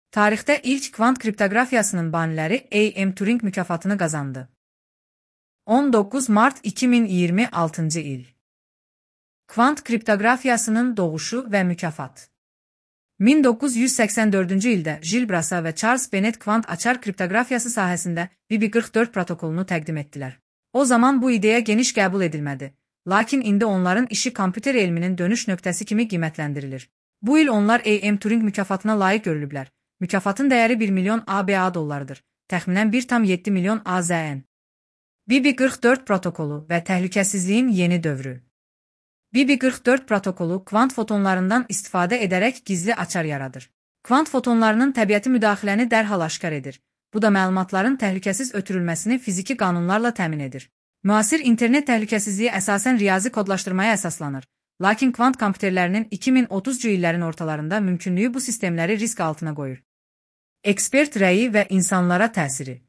Tarixdə ilk kvant kriptoqrafiyasının baniləri A.M. Turing mükafatını qazandı. 19 Mart 2026 il. Kvant kriptoqrafiyasının doğuşu və mükafat. 1984-cü ildə Jill Brasa və Charles Bennett kvant açar kriptoqrafiyası sahəsində BB44 protokolunu təqdim etdilər. O zaman bu ideya geniş qəbul edilmədi, lakin indi onların işi kompüter elminin dönüş nöqtəsi kimi qiymətləndirilir. Bu il onlar A.M. Turing mükafatına layiq görülüblər. Mükafatın dəyəri 1 milyon ABA dollarıdır, təxminən 1,7 milyon AZN. BB44 protokolu və təhlükəsizliyin yeni dövrü. BB44 protokolu kvant fotonlarından istifadə edərək gizli açar yaradır. Kvant fotonlarının təbiəti müdaxiləni dərhal aşkar edir. Bu da məlumatların təhlükəsiz ötürülməsini fiziki qanunlarla təmin edir. Müasir internet təhlükəsizliyi əsasən riyazi kodlaşdırmaya əsaslanır. Lakin kvant kompüterlərinin 2030-cu illərin ortalarında mümkünlüyü bu sistemləri risk altına qoyur. Ekspert rəyi və insanlara təsiri.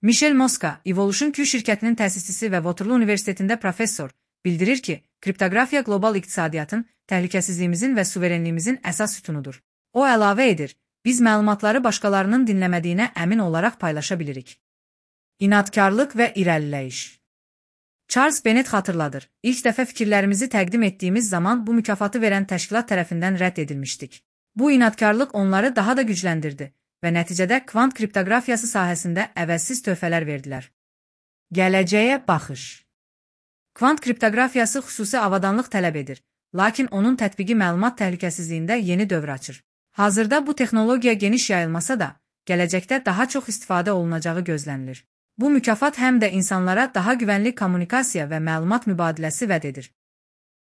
Michel Mosca, Evolution Q şirkətinin təsisçisi və Waterloo Universitetində professor, bildirir ki, kriptoqrafiya qlobal iqtisadiyyatın, təhlükəsizliyimizin və suverenliyimizin əsas sütunudur. O əlavə edir, biz məlumatları başqalarının dinləmədiyinə əmin olaraq paylaşa bilirik. İnadkarlıq və irəliləyiş. Charles Bennett xatırladır, ilk dəfə fikirlərimizi təqdim etdiyimiz zaman bu mükafatı verən təşkilat tərəfindən rədd edilmişdik. Bu inadkarlıq onları daha da gücləndirdi və nəticədə kvant kriptoqrafiyası sahəsində əvəzsiz töhfələr verdilər. Gələcəyə baxış. Kvant kriptoqrafiyası xüsusi avadanlıq tələb edir, lakin onun tətbiqi məlumat təhlükəsizliyində yeni dövr açır. Hazırda bu texnologiya geniş yayılmasa da, gələcəkdə daha çox istifadə olunacağı gözlənilir. Bu mükafat həm də insanlara daha güvənli kommunikasiya və məlumat mübadiləsi vəd edir.